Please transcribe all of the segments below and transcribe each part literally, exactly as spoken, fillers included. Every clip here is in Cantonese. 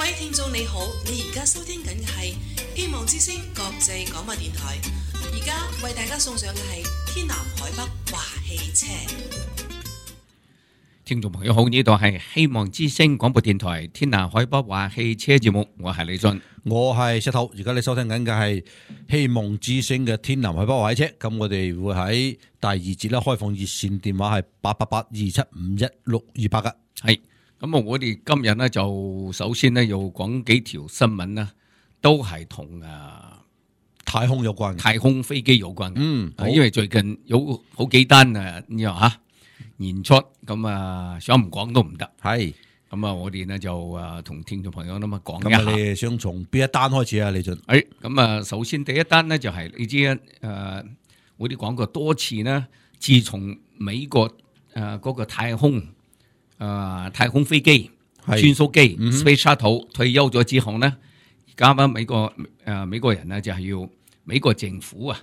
位聽眾你好，你而家收聽緊嘅係希望之聲國際廣播電台，而家為大家送上嘅係天南海北話汽車。聽眾朋友好，呢度係希望之聲廣播電台天南海北話汽車節目，我係李俊，我係石頭。而家你收聽緊嘅係希望之聲嘅天南海北話汽車。咁我哋會喺第二節咧開放熱線電話係八八八二七五一六二八嘅。係咁啊！我哋今日咧就首先咧要講幾條新聞啦，都係同啊太空有關嘅，太空飛機有關嘅。嗯，因為最近有好幾單啊，呢樣吓演出咁啊，想唔講都唔得。係咁啊，我哋呢就啊同聽眾朋友咁啊講一咁啊，下。你哋想從邊一單開始啊？李俊？誒，咁啊，首先第一單呢就係你知啊，誒，我哋講過多次呢，自從美國誒嗰個太空誒太空飛機穿梭機 Space Shuttle 退休咗之後呢，而家啊美國誒美國人呢就係要美國政府啊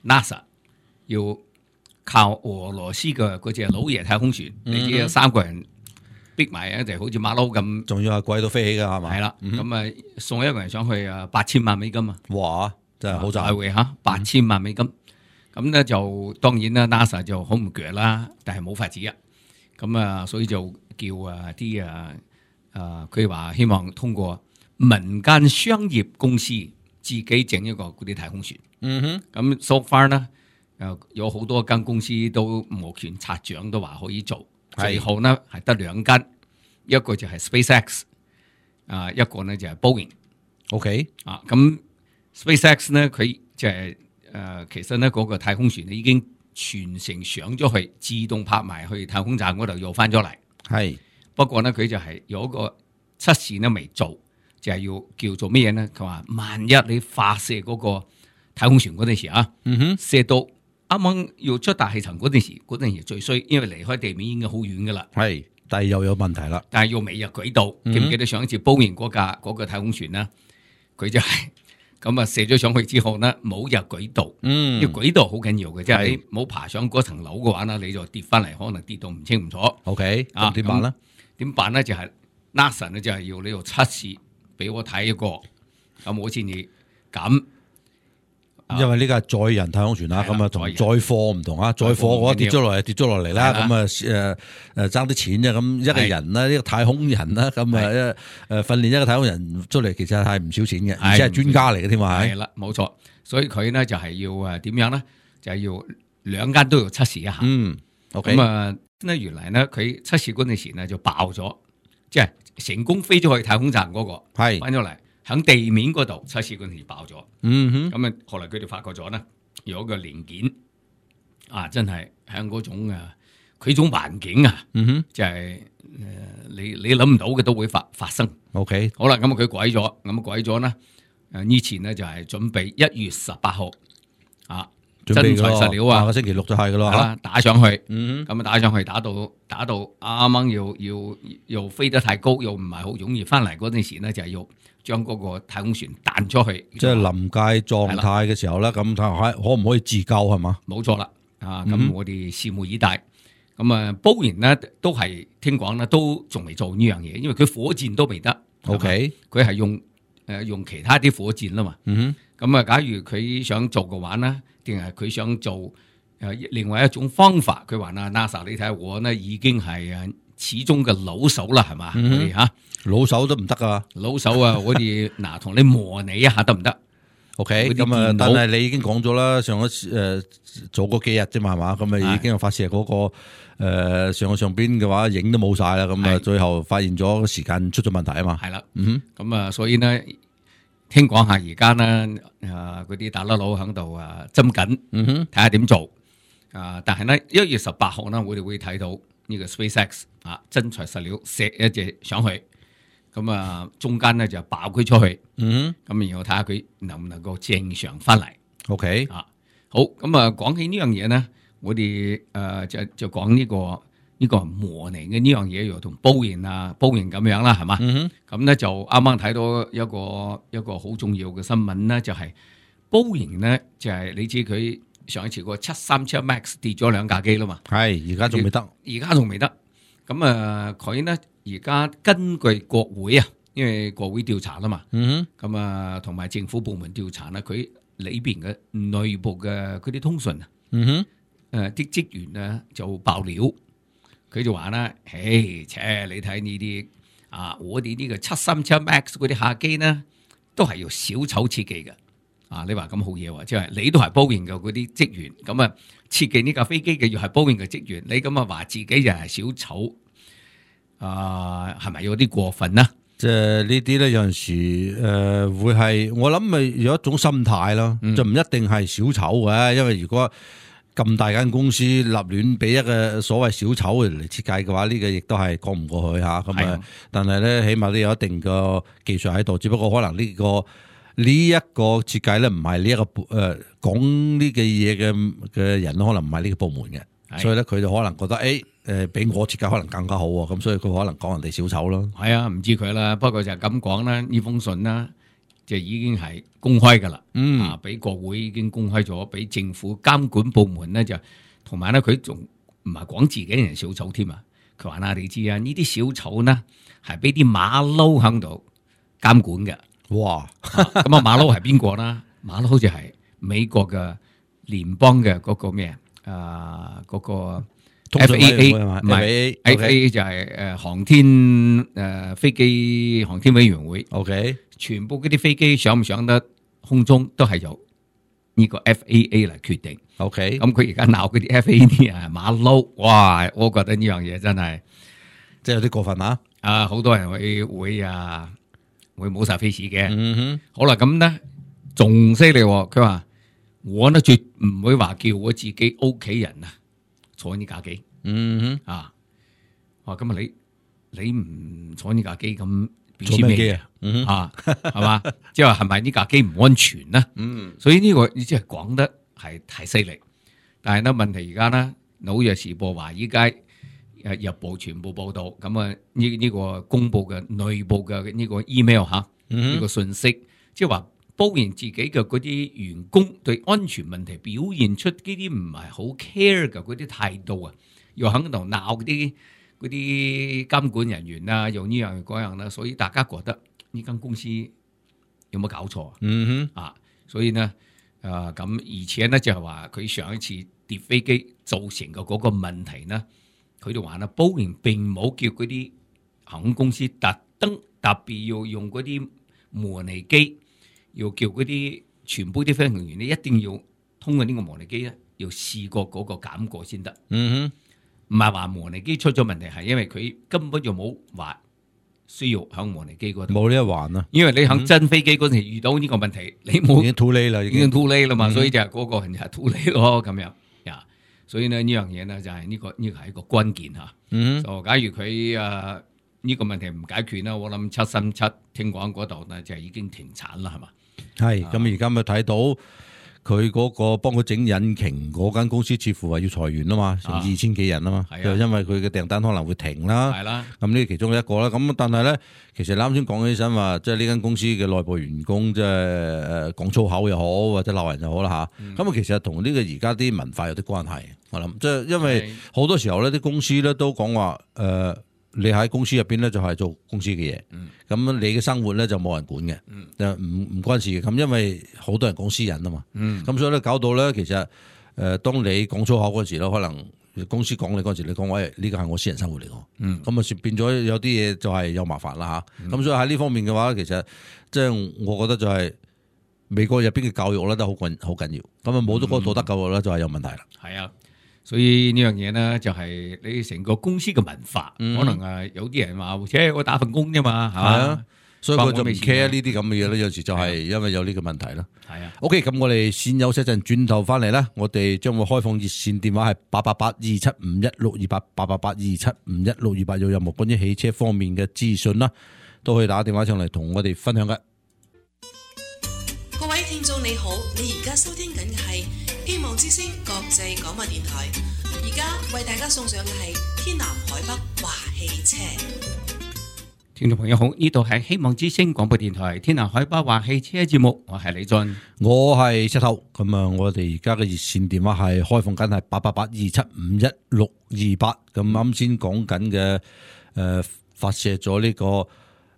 NASA 要靠俄羅斯嘅嗰隻老爺太空船，你知有三個人逼埋一齊，好似馬騮咁，仲要係貴到飛起㗎係嘛？係啦，咁啊送一個人上去啊八千萬美金啊！哇，真係好大賺會嚇八千萬美金，咁咧就當然啦 ，NASA 就好唔鋸啦，但係冇法子啊，咁啊，所以就叫啊啲啊啊，佢話希望通過民間商業公司自己整一個嗰啲太空船。嗯哼，咁 so far 呢，誒有好多間公司都摩拳擦掌，都話可以做。最後呢係得兩間，一個就係 SpaceX， 啊一個呢就係 Boeing。OK 啊，咁 SpaceX 呢佢就係、是、誒、呃、其實呢嗰、那個太空船已經全程上咗去，自動拍埋去太空站嗰度又翻咗嚟。係，不過呢佢就係有一個測試呢未做，就係、是、要叫做咩嘢呢？佢話萬一你發射嗰個太空船嗰陣時啊，嗯哼，射到啱啱要出大氣層嗰陣時，嗰陣時最衰，因為離開地面已經好遠噶啦。係，但係又有問題啦。但係又未入軌道，記唔記得上一次波完嗰架嗰個太空船呢？佢就係咁啊，射咗上去之後呢，冇入軌道。嗯，因為軌道好緊要嘅，即係你冇爬上嗰層樓嘅話呢，你就跌翻嚟，可能跌到唔清唔楚。OK， 啊，點辦咧？點辦咧？就係 NASA 咧，就係要呢度測試俾我睇一個，咁好似你咁。因為呢個係載人太空船啦，咁啊同載貨唔同啊，載貨嗰跌咗落嚟，跌咗落嚟啦，咁啊誒誒爭啲錢啫，咁一個人啦，呢個太空人啦，咁啊誒訓練一個太空人出嚟，其實係唔少錢嘅，而且係專家嚟嘅添嘛，係啦，冇錯，所以佢呢就係要誒點樣咧，就係要兩間都要測試一下。嗯 ，OK，咁啊，呢原來呢佢測試嗰陣時呢就爆咗，即係成功飛咗去太空站嗰個，係翻咗嚟。喺地面嗰度測試嗰陣時爆咗，嗯哼，咁啊，後來佢哋發覺咗呢，有一個零件啊，真係喺嗰種啊，佢種環境啊，嗯哼，就係、是、誒、呃，你你諗唔到嘅都會發發生。OK， 好啦，咁啊佢改咗，咁啊改咗呢，誒呢前呢就係準備一月十八號啊。真材實料啊！下個星期六就係噶啦，打上去，咁啊打上去，打到打到啱啱要要要飛得太高，又唔係好容易翻嚟嗰陣時呢，就係要將嗰個太空船彈出去，即係臨界狀態嘅時候咧，咁睇下可唔可以自救係嘛？冇錯啦，啊咁我哋拭目以待。咁啊，煲完呢都係聽講呢都仲未做呢樣嘢，因為佢火箭都未得。OK，佢係用誒用其他啲火箭啦嘛。嗯哼，咁啊，假如佢想做嘅話呢？定係佢想做誒另外一種方法，佢話啊 NASA， 你睇下我呢已經係誒始終嘅老手啦，係嘛？我哋嚇老手都唔得噶，老手啊！我哋嗱同你模擬一下得唔得 ？OK，咁啊，但係你已經講咗啦，上一誒、呃、做嗰幾日啫嘛，係嘛？咁啊已經有發射嗰、那個誒、呃、上去上邊嘅話，影都冇晒啦，咁啊最後發現咗時間出咗問題啊嘛。係啦，嗯哼，咁啊所以呢。聽講下而家呢，啊嗰啲大粒佬喺度啊針緊，睇下點做啊！但係呢，一月十八號呢，我哋會睇到呢個 SpaceX 啊真材實料射一隻上去，咁啊中間呢就爆佢出去，咁然後睇下佢能唔能夠正常翻嚟。OK 啊，好咁啊，講起呢樣嘢呢，我哋誒就就講呢個。呢個模擬嘅呢樣嘢又同煲型啊煲型咁樣啦，係嘛？咁咧、嗯、就啱啱睇到一個一個好重要嘅新聞咧，就係、是、煲型咧就係、是、你知佢上一次個七三七 Max 跌咗兩架機啦嘛，係而家仲未得，而家仲未得。咁啊佢咧而家根據國會啊因為國會調查啦嘛，嗯咁啊同埋政府部門調查咧，佢裏邊嘅內部嘅嗰啲通訊啊，嗯哼，誒啲職員咧就爆料，佢就話啦，嘿，切你睇呢啲啊，我哋呢個七三七 Max 嗰啲客機呢，都係由小丑設計嘅。啊！你話咁好嘢喎，即係你都係波音嘅嗰啲職員，咁啊設計呢架飛機嘅又係波音嘅職員，你咁啊話自己又係小丑，啊係咪有啲過分啊？即係呢啲咧有陣時誒、呃、會係我諗咪有一種心態咯，嗯、就唔一定係小丑嘅，因為如果咁大間公司立亂俾一個所謂小丑嚟設計嘅話，呢、呢個亦都係講唔過去嚇。咁啊，但係咧起碼都有一定嘅技術喺度，只不過可能呢、呢個。呢一個設計咧，唔係呢一個誒講呢嘅嘢嘅嘅人，可能唔係呢個部門嘅，是所以咧佢就可能覺得誒誒，比我設計可能更加好喎，咁所以佢可能講人哋小丑咯。係啊，唔知佢啦，不過就係咁講啦。呢封信啦，就已經係公開噶啦，嗯啊，俾國會已經公開咗，俾政府監管部門咧就同埋咧，佢仲唔係講自己人小丑添啊？佢話啦，你知啊，呢啲小丑呢係俾啲馬騮喺度監管嘅。哇！咁啊，馬騮係邊個啦？馬騮就係美國嘅聯邦嘅嗰個咩啊？嗰、呃那個 F A A 唔係 F A A 就係誒航天誒、呃、飛機航天委員會。OK， 全部嗰啲飛機上唔上得空中都係由呢個 F A A 嚟決定。OK，咁佢而家鬧嗰啲 F A A 啲啊馬騮，哇！我覺得呢樣嘢真係即係有啲過分啊！啊，好多人會會啊〜會冇晒 face 嘅，嗯哼，好啦，咁咧仲犀利，佢話我呢絕唔會話叫我自己屋企人啊坐呢架機，嗯哼，啊，話咁啊你你唔坐呢架機咁表示咩嘅？嗯、啊，係嘛，即係話係咪呢架機唔安全呢？嗯，所以呢、這個你即係講得係太犀利，但係呢問題而家呢紐約時報話依家。誒日報全部報道，咁啊呢呢個公佈嘅內部嘅呢個 email 嚇，呢個信息，即係話包言自己嘅嗰啲員工對安全問題表現出呢啲唔係好 care 嘅嗰啲態度啊，又喺度鬧啲嗰啲監管人員啊，又呢樣嗰樣啦，所以大家覺得呢間公司有冇搞錯啊？嗯哼，啊，所以呢，誒咁而且呢就係話佢上一次跌飛機造成嘅嗰個問題呢。佢哋話啦，波音並冇叫嗰啲航空公司特登特別要用嗰啲模擬機，要叫嗰啲全部啲飛行員咧一定要通過呢個模擬機咧，要試過嗰個減過先得。嗯哼，唔係話模擬機出咗問題，係因為佢根本就冇話需要響模擬機嗰度。冇呢一環啊，因為你響真飛機嗰陣時遇到呢個問題，嗯、你冇已經 too late 啦，已經 too late 啦嘛，嗯、所以就係嗰個人就係 too late 咯咁樣。所以呢呢樣嘢呢就係呢個呢個係一個關鍵吓。嗯，就假如佢誒呢個問題唔解決啦，我諗七三七聽講嗰度呢就已經停產啦，係嘛？係咁而家咪睇到佢嗰個幫佢整引擎嗰間公司似乎話要裁員啊嘛，成二千幾人啊嘛，就、啊、因為佢嘅訂單可能會停啦。係啦，咁呢其中一個啦。咁但係咧，其實你啱先講起身話，即係呢間公司嘅內部員工即係誒講粗口又好，或者鬧人又好啦吓。咁啊、嗯，其實同呢個而家啲文化有啲關係。我諗即係因為好多時候咧，啲公司咧都講話誒。呃你喺公司入邊咧就係做公司嘅嘢，咁、嗯、你嘅生活咧就冇人管嘅，就唔唔關事嘅。咁因為好多人講私隱啊嘛，咁、嗯、所以咧搞到咧其實誒、呃，當你講粗口嗰時咧，可能公司講你嗰時，你講喂呢個係我私人生活嚟嘅，咁啊、嗯、變咗有啲嘢就係有麻煩啦吓。咁、嗯、所以喺呢方面嘅話，其實即係我覺得就係美國入邊嘅教育咧都好緊好緊要。咁啊冇咗嗰個道德教育咧就係有問題啦。係啊。所以呢樣嘢呢，就係你成個公司嘅文化，嗯、可能啊有啲人話，且我打份工啫嘛，係嘛、啊，所以佢就唔 care 呢啲咁嘅嘢咧。有時就係因為有呢個問題啦。係啊。OK，咁我哋先休息一陣，轉頭翻嚟咧，我哋將會開放熱線電話係八八八二七五一六二八八八八二七五一六二八，有任何關於汽車方面嘅資訊啦，都可以打電話上嚟同我哋分享嘅。各位聽眾你好，你而家收聽緊嘅係希望之聲國際廣播電台，而家為大家送上嘅係天南海北華汽車。聽眾朋友好，呢度係希望之聲廣播電台天南海北華汽車節目，我係李俊，我係石頭。咁啊，我哋而家嘅熱線電話係開放緊係八八八二七五一六二八。咁啱先講緊嘅誒，發射咗呢、這個。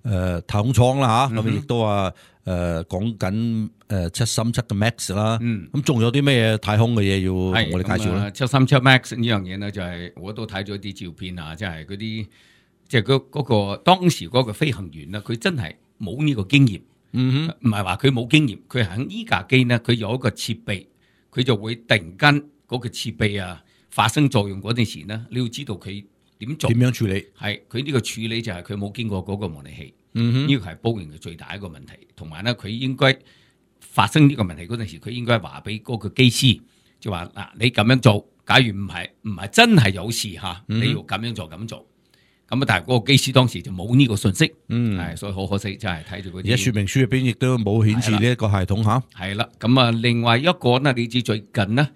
誒太空艙啦嚇，咁亦都話誒講緊誒七三七嘅 Max 啦，咁仲有啲咩太空嘅嘢要同我哋介紹咧？七三七 Max 呢樣嘢咧就係我都睇咗啲照片啊，即係嗰啲即係嗰嗰個當時嗰個飛行員咧，佢真係冇呢個經驗，嗯哼，唔係話佢冇經驗，佢喺呢架機咧，佢有一個設備，佢就會突然間嗰個設備啊發生作用嗰陣時咧，你要知道佢點做，點樣處理？係佢呢個處理就係佢冇經過嗰個模擬器。嗯哼，呢個係Boeing嘅最大一個問題，同埋咧佢應該發生呢個問題嗰陣時，佢應該話俾嗰個機師，就話嗱你咁樣做，假如唔係唔係真係有事嚇，你要咁樣做咁做，咁啊但係嗰個機師當時就冇呢個信息，嗯，係所以好可惜，真係睇住嗰啲。而家說明書入邊亦都冇顯示呢一個系統嚇。係啦，咁啊另外一個呢，你知最近呢，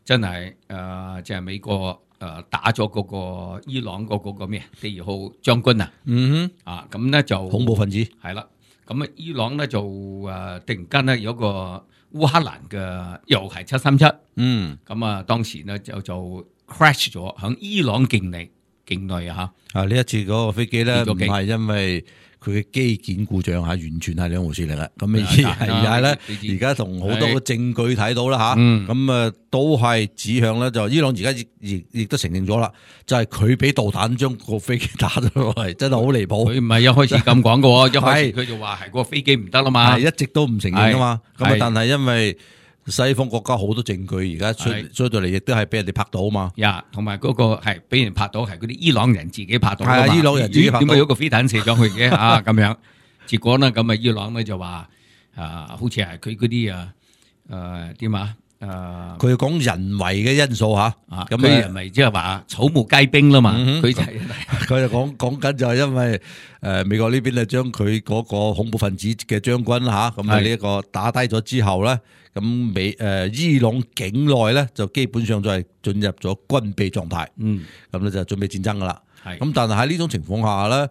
真係誒即係美國。誒打咗嗰個伊朗嗰個個咩第二號將軍啊，嗯哼，啊咁咧就恐怖分子係啦，咁啊伊朗咧就誒突然間咧有個烏克蘭嘅又係七三七，嗯，咁啊當時咧就就 crash 咗喺伊朗境內境內啊嚇，啊呢一次嗰個飛機咧唔係因為佢嘅機件故障嚇，完全係兩回事嚟嘅。咁啊而家咧，而家同好多嘅證據睇到啦嚇，咁啊都係指向咧就伊朗而家亦亦亦都承認咗啦，就係佢俾導彈將個飛機打咗落嚟，真係好離譜。佢唔係一開始咁講嘅喎，一開始佢就話係個飛機唔得啦嘛，一直都唔承認啊嘛。咁啊，但係因為西方國家好多證據，而家出出到嚟，亦都係俾人哋拍到啊嘛。呀，同埋嗰個係俾人拍到，係嗰啲伊朗人自己拍到。係啊，伊朗人自己拍到。點解有個飛彈射上去嘅啊？咁樣，結果呢，咁啊，伊朗咧就話啊，好似係佢嗰啲啊，誒點啊？誒，佢講人為嘅因素嚇，咁佢人為即係話草木皆兵啦嘛。佢就佢就講講緊就係因為誒美國呢邊咧將佢嗰個恐怖分子嘅將軍嚇，咁啊呢一個打低咗之後咧。咁美誒伊朗境內咧就基本上就係進入咗軍備狀態，嗯，咁咧就準備戰爭噶啦，係，咁但係喺呢種情況下咧，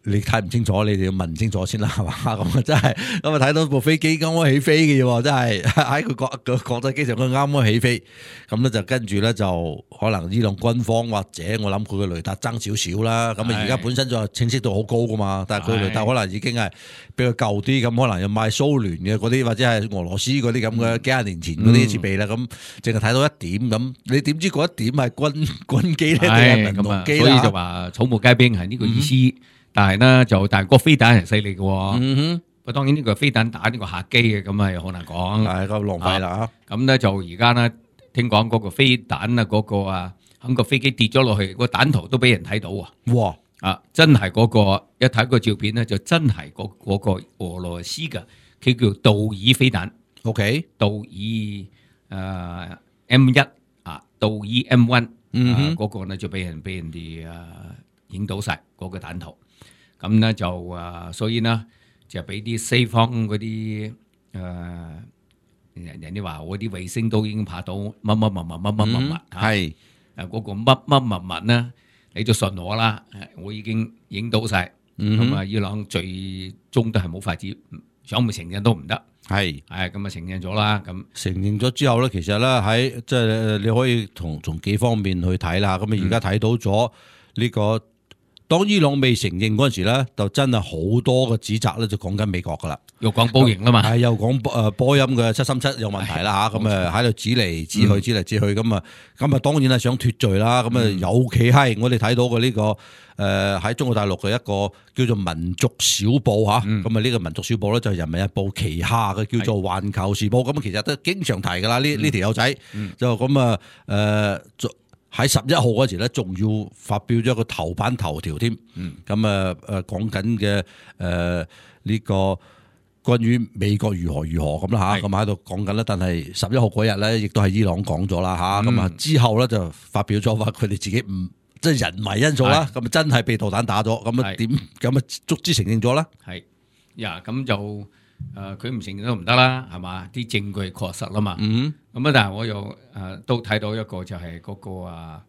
你睇唔清楚，你哋要問清楚先啦，係嘛？咁啊真係，咁啊睇到部飛機啱啱起飛嘅啫，真係喺佢國個國際機場佢啱啱起飛，咁咧就跟住咧就可能伊朗軍方或者我諗佢嘅雷達爭少少啦，咁啊而家本身就清晰度好高噶嘛，但係佢雷達可能已經係比較舊啲，咁可能要買蘇聯嘅嗰啲或者係俄羅斯嗰啲咁嘅幾廿年前嗰啲設備啦，咁淨係睇到一點咁，你點知嗰一點係軍軍機咧定係民用機啦？所以就話草木皆兵係呢個意思。嗯，但係咧就但係個飛彈係犀利嘅，嗯哼，不過當然呢個飛彈打呢個客機嘅，咁啊又好難講，係咁浪費啦。咁咧就而家咧聽講嗰個飛彈啊嗰個啊喺個飛機跌咗落去，個彈頭都俾人睇到啊！哇啊，真係嗰個一睇個照片咧，就真係嗰嗰個俄羅斯嘅，佢叫道爾飛彈 ，OK， 道爾誒 M 一啊，道爾 M 一，嗯，嗰個咧就俾人俾人哋誒影到晒嗰個彈頭。咁咧就啊，所以呢，就俾啲西方嗰啲誒人人哋話我啲衛星都已經拍到乜乜乜乜乜乜乜乜，係誒嗰個乜乜乜乜呢，你就信我啦，我已經影到晒，咁啊伊朗最終都係冇法子，想唔承認都唔得，係係咁啊承認咗啦，咁承認咗之後咧，其實咧喺即係你可以從從幾方面去睇啦，咁啊而家睇到咗呢個。當伊朗未承認嗰陣時咧，就真係好多嘅指責咧，就講緊美國噶啦，又講波音啦嘛，係又講誒波音嘅七三七有問題啦嚇，咁誒喺度指嚟指去指嚟指去，咁啊咁啊當然係想脫罪啦，咁啊尤其係我哋睇到嘅呢個誒喺中國大陸嘅一個叫做民族小報嚇，咁啊呢個民族小報咧就係人民日報旗下嘅叫做環球時報，咁其實都經常提噶啦，呢呢條友仔就咁啊誒。喺十一號嗰時咧，仲要發表咗一個頭版頭條添，咁啊誒講緊嘅誒呢個關於美國如何如何咁啦嚇，咁喺度講緊啦。但係十一號嗰日咧，亦都係伊朗講咗啦嚇，咁啊、嗯、之後咧就發表咗話佢哋自己唔即係人為因素啦，咁真係被導彈打咗，咁啊點咁啊足之承認咗啦。係呀，咁就誒佢唔承認都唔得啦，係嘛？啲證據確實啦嘛。嗯咁啊！但係我又誒、呃、都睇到一個就係嗰、那個啊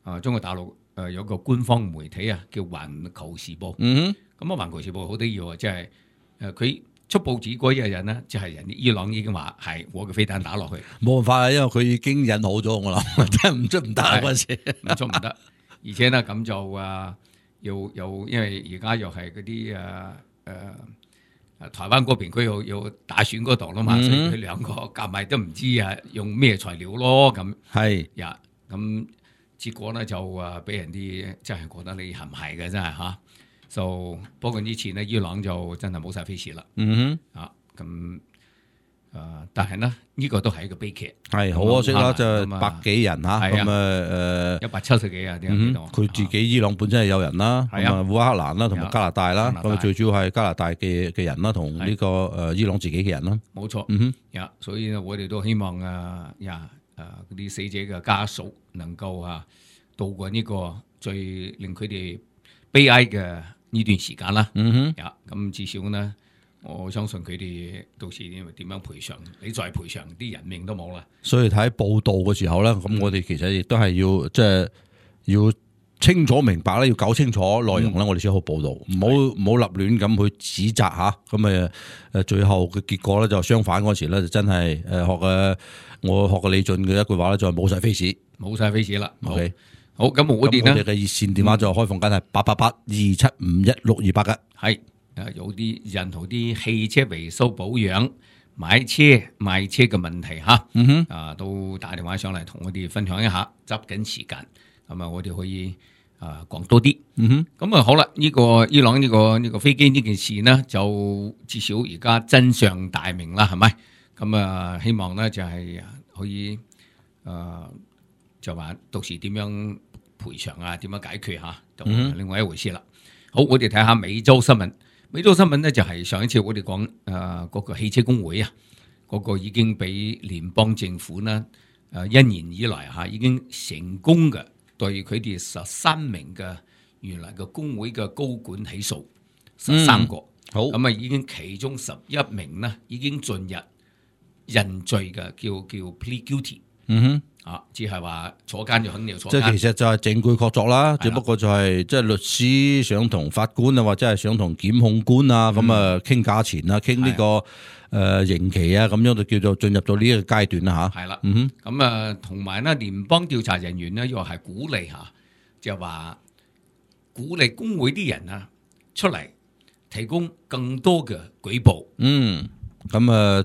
啊中國大陸誒有個官方媒體啊叫《環球時報》。嗯哼，咁啊《環球時報》好得意喎，即係誒佢出報紙嗰一日呢，就係、是、人哋伊朗已經話係我嘅飛彈打落去，冇辦法啊，因為佢已經引好咗我諗，真係唔出唔得嗰陣時，唔出唔得。而且呢，咁就啊又又因為而家又係嗰啲誒誒台灣嗰邊佢又又打選嗰度啦嘛，嗯、所以佢兩個夾埋都唔知啊用咩材料咯咁。係呀，咁結果咧就誒俾人啲真係覺得你係唔係嘅真係嚇。就不過呢次呢，伊朗就真係冇晒 face 啦。嗯哼，啊咁誒、呃，但係呢，呢、這個都係一個悲劇。係好可惜啦，就係百幾人嚇，咁啊誒一百七十幾啊，點樣講？佢自己伊朗本身係有人啦，咁啊烏克蘭啦，同埋加拿大啦，咁最主要係加拿大嘅嘅人啦，同呢個誒伊朗自己嘅人啦。冇錯，嗯哼，呀，所以呢，我哋都希望啊呀誒嗰啲死者嘅家屬能夠啊度過呢個最令佢哋悲哀嘅呢段時間啦，嗯哼，呀，咁至少呢，我相信佢哋到時因為點樣賠償，你再賠償啲人命都冇啦。所以睇報道嘅時候咧，咁我哋其實亦都係要即係要清楚明白咧，要搞清楚內容咧，我哋先好報道，唔好唔好立亂咁去指責吓，咁誒誒最後嘅結果咧就相反嗰時咧就真係誒學嘅我學嘅李俊嘅一句話咧就係冇晒 face，冇晒 face 啦。OK。好，咁我哋咧嘅熱線電話就開放緊係八八八二七五一六二八嘅，係誒有啲人同啲汽車維修保養、買車賣車嘅問題吓，嗯哼，啊都打電話上嚟同我哋分享一下，執緊時間，咁啊我哋可以啊講多啲，嗯哼，咁啊好啦，呢、這個伊朗呢、這個呢、這個飛機呢件事呢，就至少而家真相大明啦，係咪？咁啊希望呢就係可以誒。呃就話到時點樣賠償啊？點樣解決嚇？就另外一回事啦。好，我哋睇下美洲新聞。美洲新聞呢，就係上一次我哋講誒嗰個汽車工會啊，嗰、嗰個已經俾聯邦政府呢誒一年以來嚇已經成功嘅對佢哋十三名嘅原來嘅工會嘅高管起訴十三個。嗯、好咁啊，已經其中十一名呢已經進入認罪嘅，叫叫 plead guilty。嗯哼。啊，只係話坐監就肯定要坐監，即係其實就係證據確鑿啦，只不過就係即係律師想同法官啊，或者係想同檢控官啊，咁啊傾價錢啊，傾呢個誒刑期啊，咁樣就叫做進入到呢一個階段啦吓。係啦，嗯哼，咁啊同埋呢聯邦調查人員呢，又係鼓勵吓，就話鼓勵工會啲人啊出嚟提供更多嘅舉報。嗯，咁啊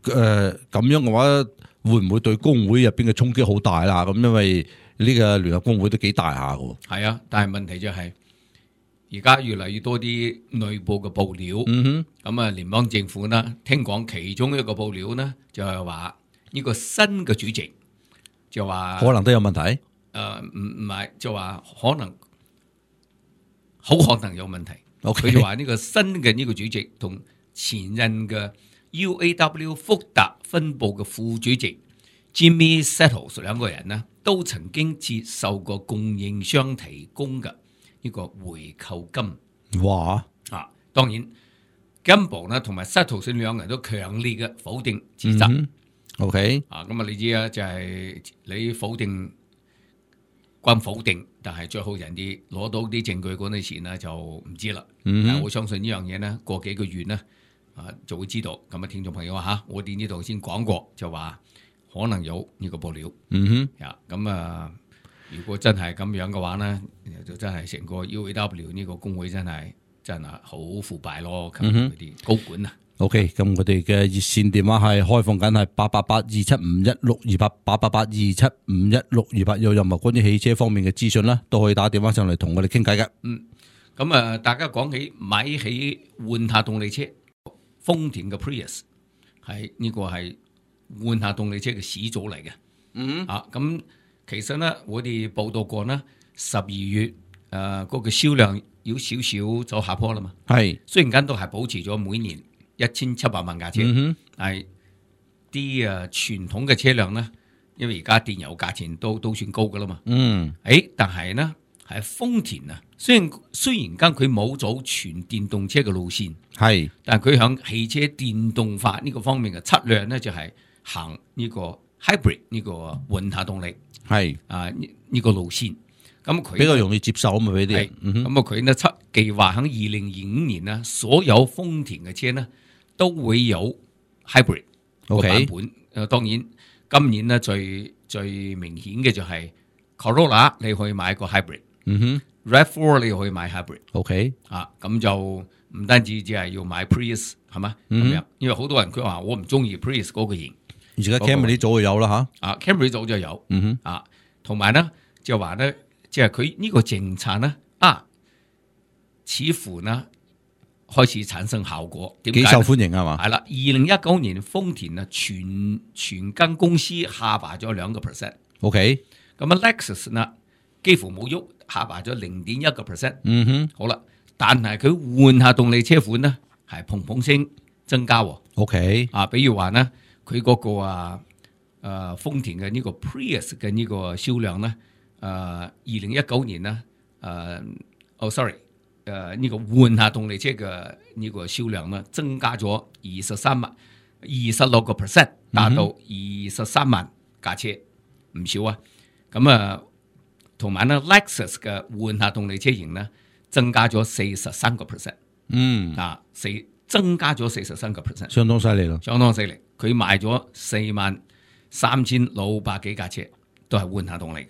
誒咁樣嘅話。會唔會對工會入邊嘅衝擊好大啦？咁因為呢個聯合工會都幾大下嘅。係啊，但係問題就係而家越嚟越多啲內部嘅報料。嗯哼，咁啊，聯邦政府呢，聽講其中一個報料呢，就係話呢個新嘅主席就話可能都有問題。誒、呃，唔唔係就話可能好可能有問題。佢、okay. 就話呢個新嘅呢個主席同前任嘅 U A W 福特分部嘅副主席 Jimmy Settles 兩個人呢，都曾經接受過供應商提供嘅呢個回扣金。哇！啊，當然 Gamble 呢同埋 Settles 兩個人都強烈嘅否定指責。嗯、OK， 啊，咁啊，你知啊，就係、是、你否定關否定，但係最後人哋攞到啲證據嗰陣時呢，就唔知啦。嗯，但我相信呢樣嘢呢，過幾個月呢。啊，就會知道咁啊！聽眾朋友啊，嚇，我哋呢度先講過，就話可能有呢個報料。嗯哼，呀，咁啊，如果真係咁樣嘅話呢，就真係成個 U A W 呢個工會真係真係好腐敗咯。咁嗰啲高管啊。OK，咁我哋嘅熱線電話係開放緊，係八八八二七五一六二八八八八二七五一六二八。有任何關於汽車方面嘅資訊啦，都可以打電話上嚟同我哋傾偈嘅。嗯，咁啊，大家講起買起換下動力車。豐田嘅 Prius 係呢個係換下動力車嘅始祖嚟嘅。嗯啊，咁其實呢，我哋報道過呢，十二月誒嗰、呃那個銷量有少少走下坡啦嘛。係，雖然間都係保持咗每年一千七百萬架車，嗯、但係啲誒傳統嘅車輛呢，因為而家電油價錢都都算高噶啦嘛。嗯，誒，但係呢係豐田啊。雖然雖然間佢冇走全電動車嘅路線，係，但係佢響汽車電動化呢個方面嘅策略咧，就係行呢個 hybrid 呢個混合動力，係啊呢呢個路線。咁佢比較容易接受啊嘛，俾啲人。咁啊佢呢測計劃喺二零二五年呢，所有豐田嘅車呢都會有 hybrid 個版本。誒，當然今年呢最最明顯嘅就係 Corolla，你可以買個 hybrid。嗯哼。，R A V 四你可以買 hybrid。OK 啊，咁就唔單止只係要買 Prius 係嘛咁樣，因為好多人佢話我唔中意 Prius 嗰個型。而家 Camry 早就有啦嚇。啊 Camry 早就有。嗯哼。啊，同埋咧就話咧，即係佢呢個政策咧啊，似乎呢開始產生效果，點解？幾受歡迎係嘛？係啦，二零一九年豐田啊全全間公司下滑咗兩個 percent。OK。咁啊 Lexus 呢幾乎冇喐，下滑咗零點一個 percent。嗯哼。好啦，但係佢換下動力車款呢係砰砰聲增加喎。OK。啊，比如話呢，佢嗰個啊誒豐田嘅呢個 Prius 嘅呢個銷量呢，誒二零一九年呢，誒、呃、哦 sorry。誒、呃、呢、這個換下動力車嘅呢個銷量呢，增加咗二十三萬二十六個 percent， 達到二十三萬架車，唔少啊！咁啊，同埋呢 Lexus 嘅換下動力車型呢，增加咗四十三個 percent， 嗯啊，四增加咗四十三個 percent， 相當犀利咯，相當犀利。佢賣咗四萬三千六百幾架車，都係換下動力嘅。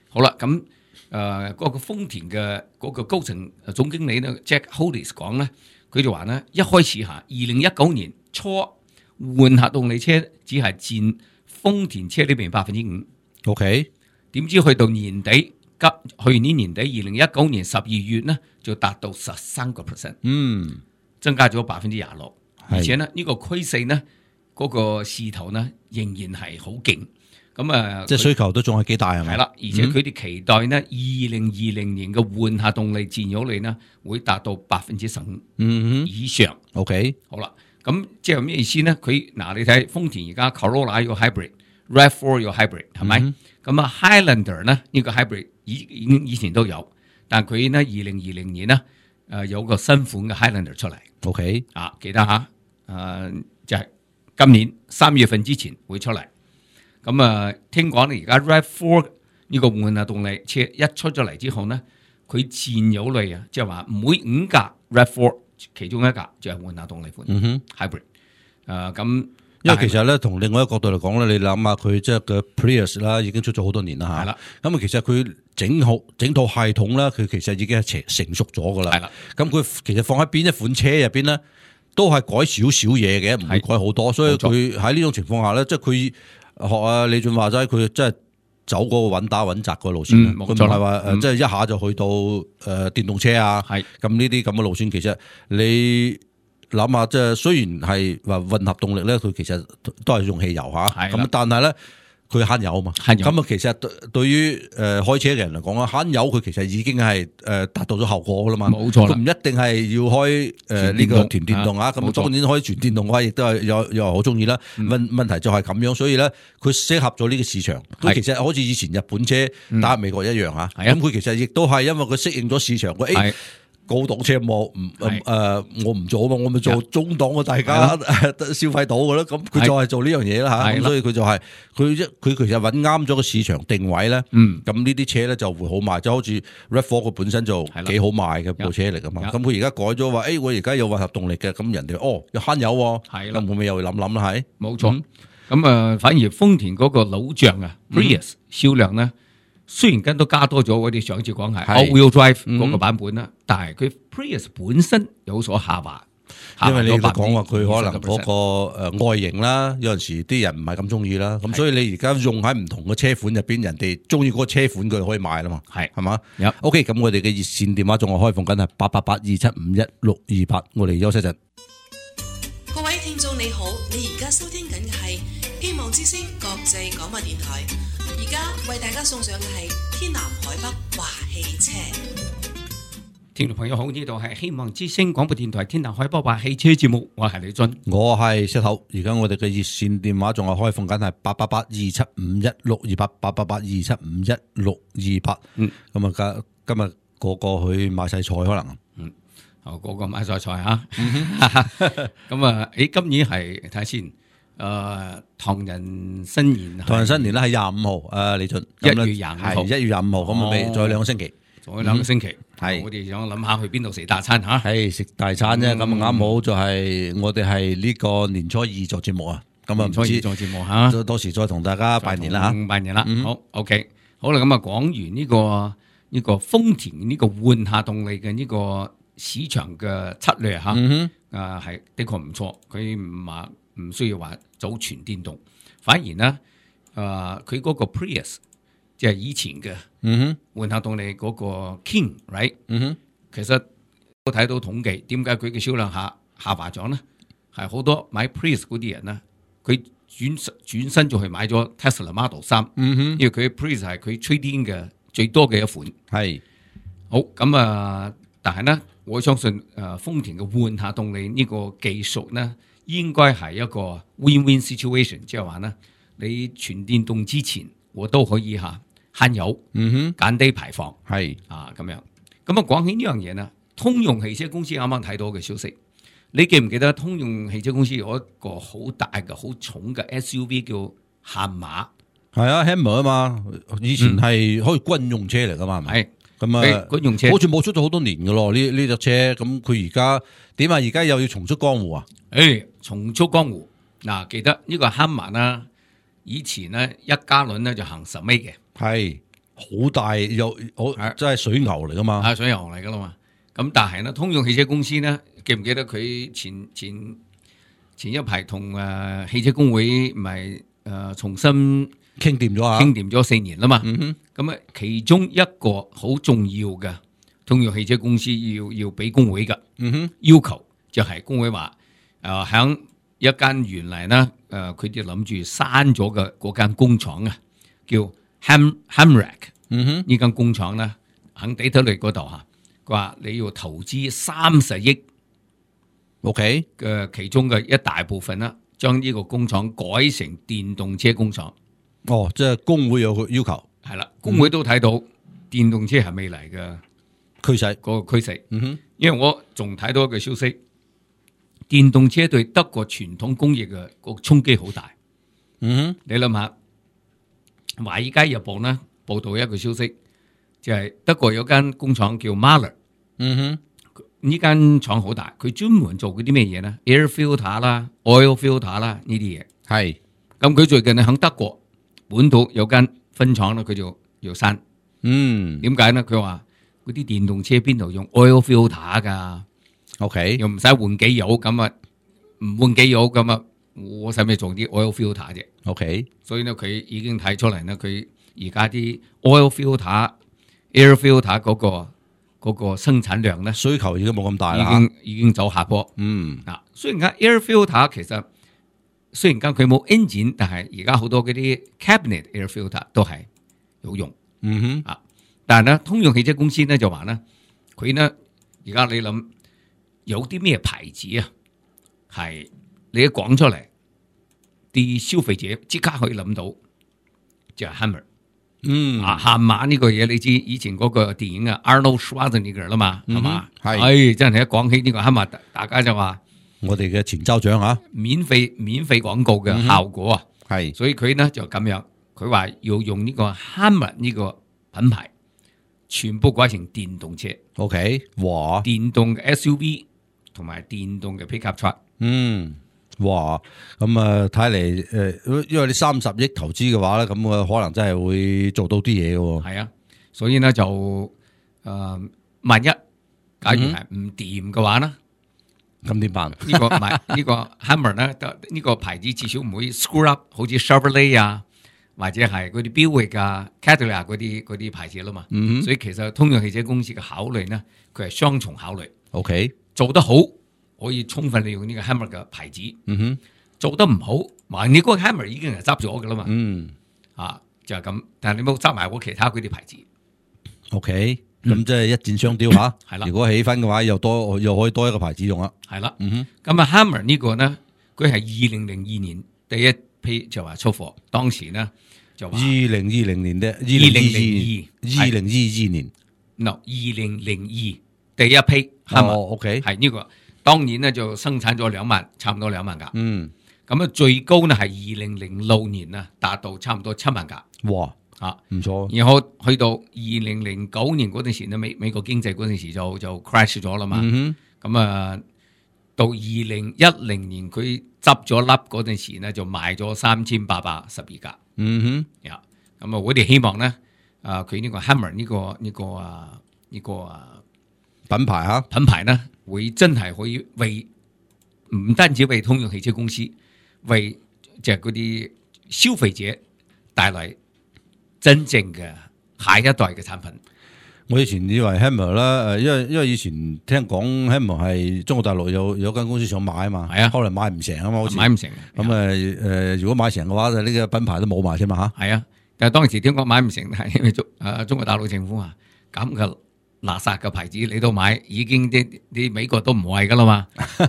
好啦，咁。誒、呃、嗰、那個豐田嘅嗰個高層總經理呢 Jack Hollis 講咧，佢就話咧，一開始嚇二零一九年初換下動力車只係佔豐田車裏邊百分之五。OK， 點知去到年底急去年年底二零一九年十二月呢，就達到十三個 percent， 嗯，增加咗百分之廿六。而且呢，呢、這個趨勢呢，嗰、那個勢頭呢，仍然係好勁。咁啊，即係需求都仲係幾大係咪？係啦，而且佢哋期待呢，二零二零年嘅換下動力佔有率呢，會達到百分之十五以上。嗯、OK， 好啦，咁即係咩意思呢？佢嗱，你睇豐田而家 Corolla 有 hybrid，R A V 四有 hybrid， 係咪？咁、嗯、啊 Highlander 呢，呢個 hybrid 已已經以前都有，但佢呢二零二零年呢，誒有個新款嘅 Highlander 出嚟。OK， 啊，記得吓，誒、呃、就係、是、今年三月份之前會出嚟。咁啊，聽講咧，而家 R A V 四呢個換下動力車一出咗嚟之後呢，佢佔有率啊，即係話每五架 R A V 四其中一架就係換下動力款、嗯、哼 hybrid。誒、呃、咁，因為其實咧，從另外一個角度嚟講咧，你諗下佢即係嘅 Prius 啦，已經出咗好多年啦嚇。係啦。咁啊，其實佢整好整套系統咧，佢其實已經係成熟咗噶啦。係啦。咁佢其實放喺邊一款車入邊咧，都係改少少嘢嘅，唔會改好多。所以佢喺呢種情況下咧，即係佢。學啊李俊話齋，佢真係走嗰個穩打穩紮個路線，佢唔係話誒，即係一下就去到誒電動車啊。係咁呢啲咁嘅路線，其實你諗下，即係雖然係話混合動力咧，佢其實都係用汽油吓，咁但係咧佢慳油啊嘛。咁啊，其實對對於誒開車嘅人嚟講啊，慳油佢其實已經係誒達到咗效果噶啦嘛。冇錯啦，唔一定係要開誒呢個全電動啊。咁當然開全電動嘅話，亦都係有有人好中意啦。問問題就係咁樣，所以咧佢適合咗呢個市場。佢其實好似以前日本車打入美國一樣吓。咁佢其實亦都係因為佢適應咗市場。誒。高檔車我唔誒我唔做啊嘛，我咪做中檔嘅，大家消費到嘅咯。咁佢就係做呢樣嘢啦吓，咁所以佢就係佢一佢其實揾啱咗個市場定位咧。嗯，咁呢啲車咧就會好賣，就好似 R A V 四佢本身就幾好賣嘅部車嚟噶嘛。咁佢而家改咗話，誒我而家有混合動力嘅，咁人哋哦又慳油喎，係啦，咁會唔會又會諗諗啦？係冇錯。咁啊，反而豐田嗰個老將啊 Prius 銷量咧。雖然跟都加多咗，我哋上次講係 all-wheel drive 嗰個版本啦，嗯、但係佢 Prius 本身有所下滑，因為你都講話佢可能嗰個誒外形啦，有陣時啲人唔係咁中意啦，咁所以你而家用喺唔同嘅車款入邊，人哋中意嗰個車款佢可以買啦嘛，係係嘛 ？OK， 咁我哋嘅熱線電話仲係開放緊係八八八二七五一六二八，我哋休息陣。各位聽眾你好，你而家收聽緊嘅係希望之聲國際廣播電台。而家為大家送上嘅係天南海北華汽車。聽眾朋友好，呢度係希望之聲廣播電台天南海北華汽車節目，我係李俊，我係石頭。而家我哋嘅熱線電話仲係開放緊係八八八二七五一六二八，八八八二七五一六二八。嗯，咁啊今今日個個去買晒菜可能，嗯，哦個個買晒菜吓。咁啊，誒，今年係睇下先。誒、呃，唐人新年，唐人新年咧係廿五號，誒，李俊，一月廿五號，一月廿五號，咁啊，未仲有兩個星期，仲有兩個星期，係、嗯，我哋想諗下去邊度食大餐吓，係食大餐啫，咁啊啱好就係我哋係呢個年初二做節目啊，咁啊唔知做節目吓，到時再同大家拜年啦吓，拜年啦，嗯、好 ，OK， 好啦，咁啊講完呢個呢個豐田呢個換下動力嘅呢個市場嘅策略嚇，嗯啊係的確唔錯，佢唔話唔需要話走全電動，反而呢，啊佢嗰個 Prius 即係以前嘅嗯換下動力嗰個 King，right？嗯哼，其實都睇到統計，點解佢嘅銷量下下滑咗呢？係好多買 Prius 嗰啲人呢，佢轉轉身就去買咗 Tesla Model 三，嗯哼，因為佢 Prius 係佢 trade in 嘅最多嘅一款。係好咁啊，但係呢，我相信誒豐田嘅換下動力呢個技術呢，應該係一個 win-win situation，即係話呢，你全電動之前我都可以嚇慳油，嗯哼，減低排放。係啊咁樣，咁啊講起呢樣嘢呢，通用汽車公司啱啱睇到嘅消息，你記唔記得通用汽車公司有一個好大嘅、好重嘅 S U V 叫悍馬？係啊 Hammer 啊嘛，以前係可以軍用車嚟噶嘛，係咪？係咁啊，軍用車好似冇出咗好多年噶咯，呢呢隻車，咁佢而家點啊？而家又要重出江湖啊？誒，重出江湖嗱，記得呢個悍馬啦，以前呢，一加侖呢就行十米嘅，係好大又好，真係水牛嚟噶嘛？啊，水牛嚟噶啦嘛。咁但係呢，通用汽車公司呢，記唔記得佢前前前一排同誒汽車工會唔係誒重新傾掂咗啊？傾掂咗四年啦嘛。嗯哼，咁啊，其中一個好重要嘅通用汽車公司要要俾工會嘅嗯哼，要求，就係工會話誒響一間原嚟呢，誒佢哋諗住閂咗嘅嗰間工廠啊，叫 Ham Hamrak。嗯哼，呢間工廠咧喺底特律嗰度嚇，佢話你要投資三十億 OK 嘅其中嘅一大部分啦，將呢個工廠改成電動車工廠。哦，即係工會有個要求，係啦，工會都睇到電動車係未來嘅趨勢。嗰個趨勢。嗯哼，因為我仲睇到一個消息，電動車對德國傳統工業嘅個衝擊好大。嗯哼，你諗下，《華爾街日報》呢報道一個消息，就係、是、德國有間工廠叫 Mahler。嗯哼，呢間廠好大，佢專門做嗰啲咩嘢呢？ Air filter 啦、oil filter 啦呢啲嘢。係。咁佢最近咧喺德國本土有間分廠咧，佢就要刪。嗯，點解呢？佢話嗰啲電動車邊度用 oil filter 噶 OK，又唔使換機油，咁啊唔換機油咁啊，我使咩做啲 oil filter 啫 OK，所以呢，佢已經睇出嚟呢，佢而家啲 oil filter、air filter 嗰個嗰個生產量咧，需求已經冇咁大啦，已經已經走下坡。嗯，嗱，雖然間 air filter 其實雖然間佢冇 engine，但係而家好多嗰啲 cabinet air filter 都係有用。嗯哼，啊，但係咧，通用汽車公司咧就話咧，佢呢而家你諗有啲咩牌子啊，係你一講出嚟，啲消費者即刻可以諗到，就係 Hammer。嗯，啊，悍馬呢個嘢你知，以前嗰個電影啊 Arnold Schwarzenegger 啦嘛，係嘛？係，唉，真係一講起呢個 Hammer，大家就話我哋嘅前州長啊，免費免費廣告嘅效果啊，係，所以佢呢就咁樣，佢話要用呢個 Hammer 呢個品牌，全部改成電動車。OK，哇，電動嘅 S U V 同埋電動嘅 pickup truck。嗯，哇，咁啊睇嚟誒，因為你三十億投資嘅話咧，咁啊可能真係會做到啲嘢嘅喎。係啊，所以呢，就誒、呃，萬一假如係唔掂嘅話呢，咁點辦？呢、這個唔係呢個 Hammer 呢，呢、這個牌子至少唔會 screw up，好似 Chevrolet 啊，或者係嗰啲標域啊、Cadillac 嗰啲嗰啲牌子啦嘛。嗯，所以其實通用汽車公司嘅考慮呢，佢係雙重考慮。OK，做得好可以充分利用呢個 Hammer 嘅牌子。嗯哼，做得唔好，話你嗰個 Hammer 已經係執咗噶啦嘛。嗯，啊就係咁，但係你冇執埋我其他嗰啲牌子。OK，咁即係一箭雙雕吓。係啦，如果起分嘅話，又多又可以多一個牌子用啦。係啦，嗯哼，咁啊 Hammer 呢個呢，佢係二零零二年第一批就話出貨，當時呢就話二零二零年嘅二零二零二零二二零二二年，no 二零零二第一批 Hammer，哦，OK，係呢個，當年呢就生產咗兩萬，差唔多兩萬架。嗯，咁啊最高呢係二零零六年啊，達到差唔多七萬架。哇，啊，唔錯。然後去到二零零九年嗰陣時咧，美美國經濟嗰陣時就就 crash 咗啦嘛。嗯咁啊，到二零一零年佢執咗笠嗰陣時咧，就賣咗三千八百十二架。哼，嗯呀，咁啊，我哋希望咧，啊佢呢個 Hammer 呢、這個呢、這個啊呢、這個啊品牌嚇品牌呢，會真係可以為唔單止為通用汽車公司，為就係嗰啲消費者帶來真正嘅下一代嘅產品。我以前以為 Hammer 啦，誒，因為因為以前聽講 Hammer 係中國大陸有有間公司想買啊嘛，係啊，後來買唔成啊嘛，好似買唔成。咁誒誒，如果買成嘅話，就呢個品牌都冇埋添嘛嚇。係啊，但係當時點講買唔成，係因為中誒中國大陸政府話咁嘅垃圾嘅牌子你都買，已經啲啲美國都唔係噶啦嘛，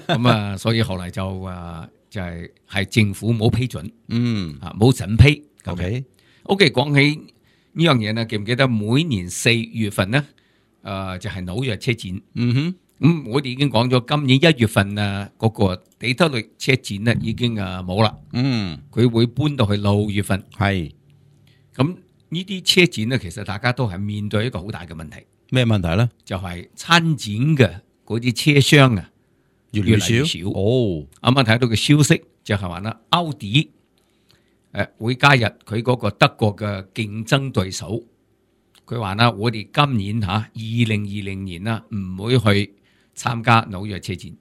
咁啊，所以後嚟就誒就係係政府冇批准，嗯啊冇審批。OK OK， 講起呢樣嘢呢，記唔記得每年四月份呢？誒、呃、就係、是、紐約車展。嗯哼，咁、嗯、我哋已經講咗，今年一月份啊，嗰、那個底特律車展呢已經誒冇啦。嗯，佢會搬到去六月份。係。咁呢啲車展呢，其實大家都係面對一個好大嘅問題。咩問題咧？就係參展嘅嗰啲車廂啊，越嚟越少。越少哦，啱啱睇到嘅消息就係話啦，奧迪。誒，會加入佢嗰個德國嘅競爭對手。佢話啦，我哋今年吓二零二零年啦，唔會去參加紐約車展。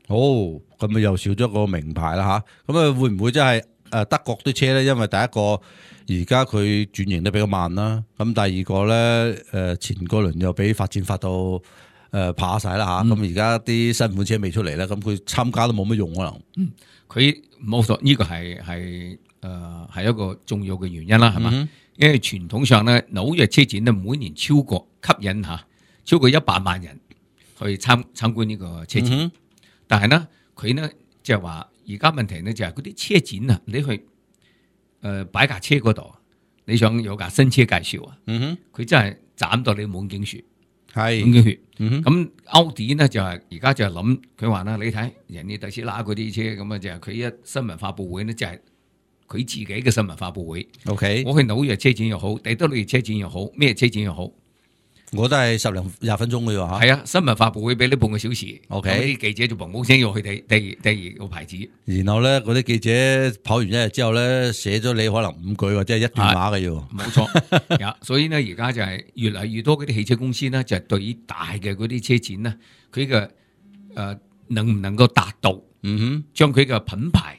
哦，咁咪又少咗個名牌啦吓。咁啊，會唔會真係誒德國啲車咧？因為第一個而家佢轉型得比較慢啦。咁第二個咧，誒前個輪又俾發展發到誒怕晒啦吓。咁而家啲新款車未出嚟咧，咁佢參加都冇乜用可能。嗯，佢冇錯，呢個係係。誒，係、呃、一個重要嘅原因啦，係嘛？嗯、因為傳統上咧，紐約車展咧每年超過吸引吓超過一百萬人去參參觀呢個車展，嗯、但係呢，佢呢就係話而家問題呢就係嗰啲車展啊，你去誒擺架車嗰度，你想有架新車介紹啊，佢、嗯、真係斬到你滿頸血，係滿頸血。咁奧迪呢就係而家就係諗，佢話啦，你睇人哋特斯拉嗰啲車咁啊，就係佢一新聞發佈會呢就係、是。佢自己嘅新聞發佈會 ，OK，我去紐約車展又好，底特律車展又好，咩車展又好，我都係十零廿分鐘嘅喎嚇。係啊，新聞發佈會俾你半個小時 ，OK，啲記者就砰砰聲要去第第第二個牌子。然後咧，嗰啲記者跑完一日之後咧，寫咗你可能五句或者係一段話嘅要。冇錯，所以呢，而家就係越嚟越多嗰啲汽車公司呢，就係對於大嘅嗰啲車展呢，佢嘅誒能唔能夠達到，嗯哼，將佢嘅品牌。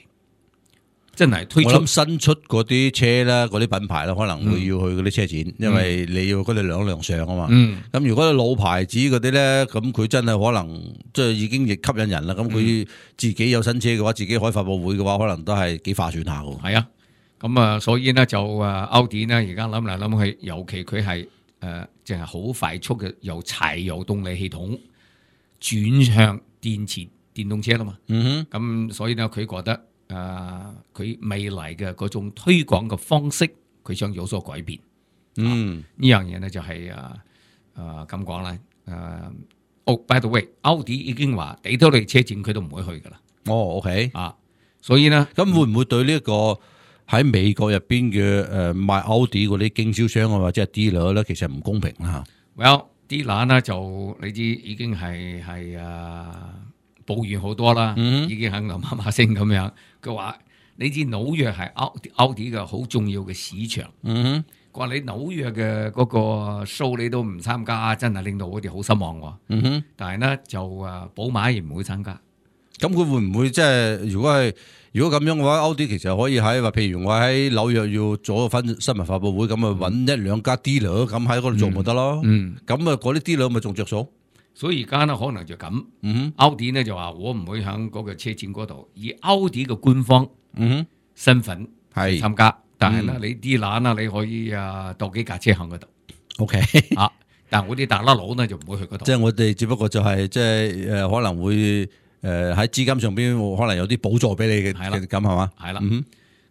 真係推出，我諗新出嗰啲車咧，嗰啲品牌咧，可能會要去嗰啲車展，嗯、因為你要嗰啲兩輛上啊嘛。咁、嗯、如果老牌子嗰啲咧，咁佢真係可能即係已經亦吸引人啦。咁佢自己有新車嘅話，自己開發佈會嘅話，可能都係幾划算下嘅。係啊，咁啊，所以呢，就誒奧迪呢，而家諗嚟諗去，尤其佢係誒淨係好快速嘅由柴油動力系統轉向電池電動車啦嘛。嗯哼，咁所以呢，佢覺得。誒，佢、呃、未來嘅嗰種推廣嘅方式，佢想有所改變。嗯，啊、呢樣嘢咧就係誒誒咁講啦。誒，哦，by the way，奧迪已經話底特律車展佢都唔會去噶啦。哦 ，OK，啊，所以咧，咁會唔會對呢一個喺美國入邊嘅誒賣奧迪嗰啲經銷商啊或者係 dealer 咧，其實唔公平啦？Well， dealer 咧就你知已經係係誒抱怨好多啦，嗯、已經喺度媽媽聲咁樣。佢話：你知紐約係奧奧迪嘅好重要嘅市場。嗯哼，佢話你紐約嘅嗰個 show 你都唔參加，真係令到我哋好失望喎。嗯哼，但係呢，就誒寶馬亦唔會參加。咁佢會唔會即係如果係如果咁樣嘅話，奧迪其實可以喺話，譬如我喺紐約要做個分新聞發佈會，咁啊揾一兩家 dealer 咁喺嗰度做咪得咯？嗯，咁啊嗰啲 dealer 咪仲着數。所以而家呢可能就咁，嗯、奧迪呢就話我唔會喺嗰個車展嗰度以奧迪嘅官方身份係參加，嗯、但係呢，嗯、你啲攬啦，你可以啊鬥幾架車喺嗰度。O K 啊，但係我啲大甩佬呢就唔會去嗰度。即係我哋只不過就係即係誒可能會誒喺資金上邊可能有啲補助俾你嘅，係啦咁係嘛？係啦，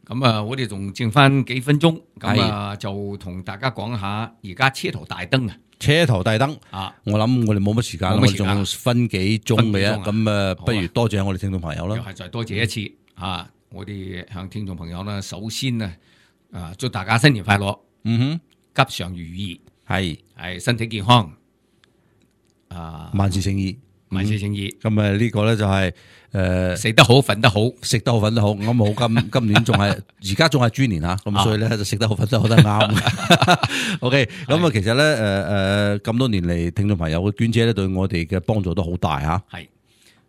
咁啊我哋仲剩翻幾分鐘，咁啊就同大家講下而家車頭大燈啊。車頭大燈啊！我諗我哋冇乜時間，我哋仲分幾鐘嘅啫。咁啊，不如多謝我哋聽眾朋友啦。又係再多謝一次啊！我哋向聽眾朋友呢，首先呢，啊祝大家新年快樂，嗯哼，吉祥如意，係係身體健康，啊萬事勝意，萬事勝意。咁啊呢個咧就係誒食得好，瞓得好，食得好，瞓得好。咁好今今年仲係而家仲係豬年嚇，咁所以咧就食得好，瞓得好都係啱。OK，咁啊其實咧誒誒咁多年嚟，聽眾朋友嘅娟姐咧對我哋嘅幫助都好大嚇。係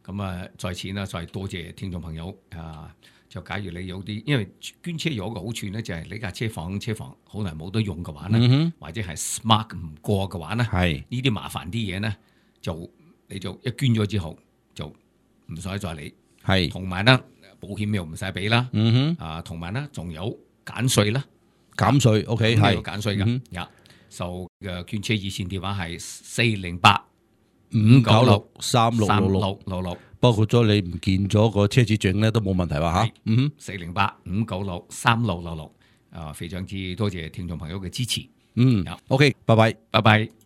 咁啊，在此呢，再多謝聽眾朋友啊！就假如你有啲，因為捐車有一個好處咧，就係你架車房車房好耐冇得用嘅話咧，嗯、或者係 smart 唔過嘅話咧，係呢啲麻煩啲嘢咧，就你就一捐咗之後就唔使再理，係同埋咧保險又唔使俾啦，嗯哼，啊同埋咧仲有減稅啦，減稅 OK 係有減稅嘅，呀，就嘅捐車熱線電話係四零八五九六三六六六六六。包括咗你唔見咗個車子證咧，都冇問題話嚇。嗯，四零八五九六三六六六。啊，非常之多謝聽眾朋友嘅支持。嗯，OK，拜拜，拜拜。